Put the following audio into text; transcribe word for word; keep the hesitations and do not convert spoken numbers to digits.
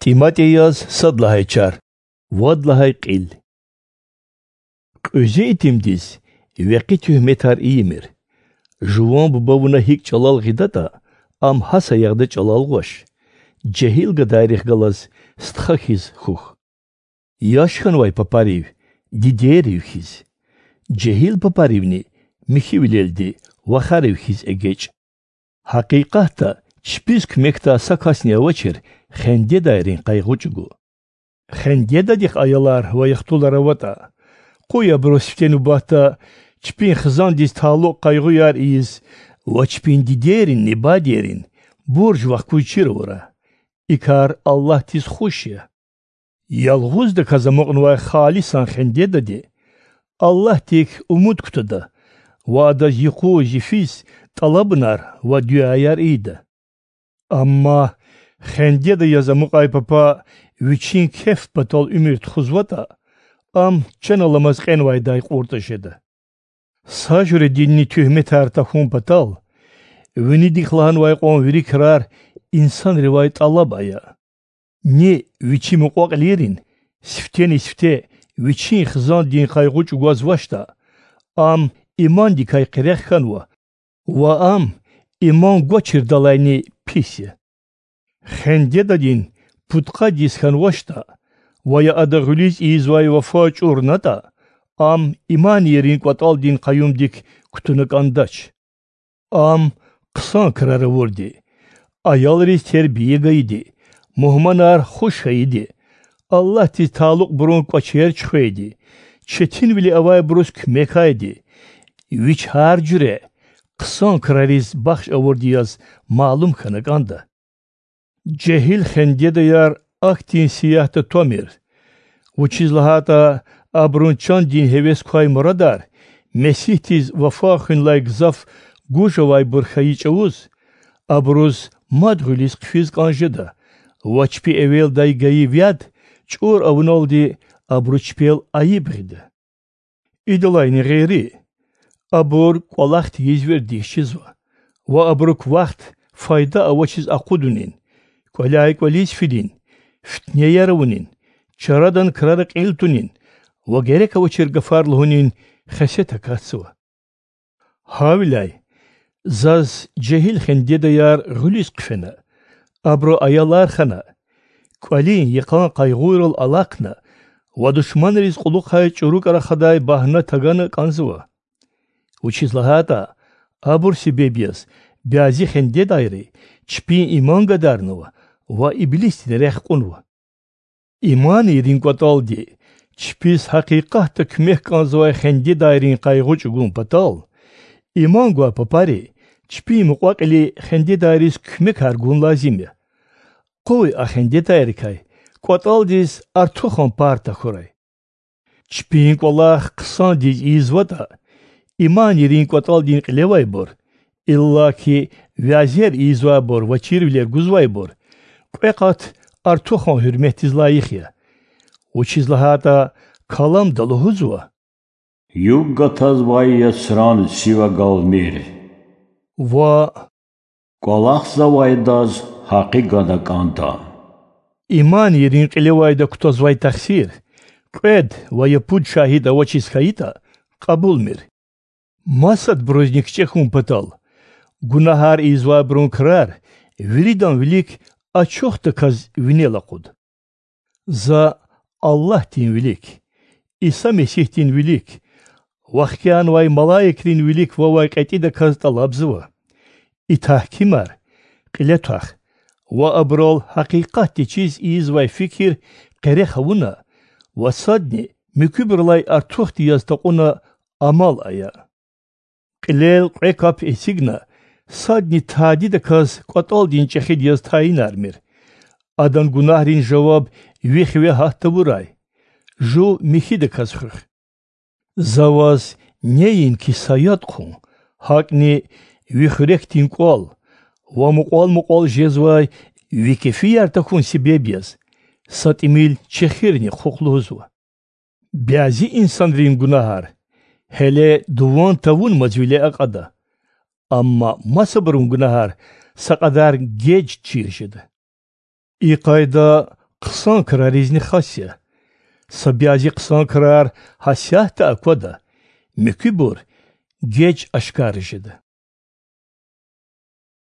ТӀиматӀи яз сад лагьай чар, вад лагьай кьил. Кьуьзуь итимдиз векъи туьгьметар ийимир. Жуван буба вуна гьикӀ чӀалал гъидатӀа, ам гьа саягъда чӀалал гъваш. Жегьил гадайрихъ галаз стха хьиз хьухь. Яш хьанвай папарив, дидейрив хьиз, жегьил папаривни михьивилелди вахарив хьиз эгечӀ. Гьакъикъатда, чпиз куьмекдай са касни авачир хендедайрин къайгъу чӀугу. Хендедадихъ аялар ва яхтулар аватӀа, къуй абуруз сифте нубатда чпин хизандиз талукь къайгъуяр ийиз ва чпин дидейринни бадейрин бурж вахкуз чир авурай. И кар Аллагьдиз хуш я. Ялгъуздаказ амукьнавай халисан хендедади Аллагьдик умуд кутада ва адаз юкъуз-йифиз тӀалабунар ва дуьаяр ийида. Амма хендеда яз амукьай папа вичин кеф патал уьмуьр тухузватӀа, ам чан аламаз кьенвайдай кьуртӀа жеда. Са жуьрединни туьгьметар тахьун патал, винидихъ лагьанвай кьван вири крар инсанривай тӀалаб ая. Ни вичи мукьва-кьилийрин сифтени-сифте вичин хизандин къайгъу чӀугвазвачтӀа, ам имандикай къерех хьанва ва ам иман гвачирдалайни пис я. Хендедадин пудкъад йис хьанвачтӀа ва я ада гъуьлуьз ийизвай вафа чӀурнатӀа, ам иманийрин кӀватӀалдин къаюмдик кутуна кӀандач. Ам хъсан крар авурди, аялриз тербия гайиди, мугьманар хуш хьайиди, Аллагьдиз талукьбурун кӀвачер чуьхвейди, четинвиле авайбуруз куьмекайди, вич гьар жуьре хъсан крариз бахш авурди яз малум хьана кӀанда. Жегьил хендедаяр ахьтин сиягьда твамир, вучиз лагьайтӀа абурун чандин гьевес квай мурадар Месигьдиз вафа хуьнлай гзаф гуж авайбур хьайи чӀавуз, абуруз мад гъуьлуьз хъфиз кӀан жеда ва чпи эвелдай гайи вяд чӀур авуналди абуру чпел айиб гъида. Идалайни гъейри, абур кӀвалах тийиз вердиш жезва ва абурук вахт файда авачиз акъудунин, кӀваляй кӀвализ фидин, фитнеяр авунин, чарадан крара кьил тунин ва герек авачир гафар лугьунин хесет акатзава. Гьавиляй заз жегьил хендедаяр гъуьлуьз хъфена, абуру аялар хана, кӀвалин йикъан къайгъуйрал алахъна ва душманриз кьулухъай чӀурукӀ рахадай багьна тагана кӀанзава. Вучиз лагьайтӀа абур себеб яз бязи хендедайри чпин иман гадарнава ва иблисдин рехъ кьунва. Иманийрин кӀватӀалди чпиз гьакъикъатда куьмек кӀанзавай хендедайрин къайгъу чӀугун патал, иман гвай папари чпин мукьва-кьили хендедайриз куьмекар гун лазим я. Къуй а хендедайрикай кӀватӀалдиз артухан пар тахьурай. Чпин кӀвалах хъсандиз ийизватӀа, иманийрин кӀватӀалдин кьилевайбур, иллаки вязер ийизвайбур ва чирвилер гузвайбур, кьве къат артухан гьуьрметдиз лайих я. Вучиз лагьайтӀа Каламда лугьузва: Югъ гатазвай яцран сив агалмир ва кӀвалахзавайдаз гьакъи гана кӀанда. Иманийрин кьилевайда кутазвай тахсир, кьвед ва я пуд шагьид авачиз хьайитӀа, кьабулмир. Масадбурузни кичӀе хьун патал, гунагьар ийизвайбурун крар виридан вилик ачухдаказ винел акъуд. За Аллагьдин вилик, Иса Месигьдин вилик, вахкӀиянавай малаикрин вилик вавай кьетӀидаказ тӀалабзава: и тагькимар кьиле твах ва абурал гьакъикъатдин чиз ийизвай фикир къерех авуна ва садни муькуьбурулай артухди яз такьуна амал ая. Кьилел кьве кап эцигна, садни тадидаказ кӀватӀалдин чӀехиди яз тайинармир. Адан гунагьрин жаваб ви хиве гьат тавурай. Жув михьидаказ хуьх. За ваз неинки са яд хъун, гьакӀни ви хуьрекдин кӀвал ва мукьвал-мукьвал жезвай ви кефияр тахьун себеб яз са тӀимил чехирни хъухъ лугьузва. Бязи инсанрин гунагьар гьеле дуван тавунмаз виле акьада, амма масабурун гунагьар са кьадар геж чир жеда. И къайда Хъсан краризни хас я. Са бязи хъсан крар гьасятда аквада, муькуьбур геж ашкара жеда.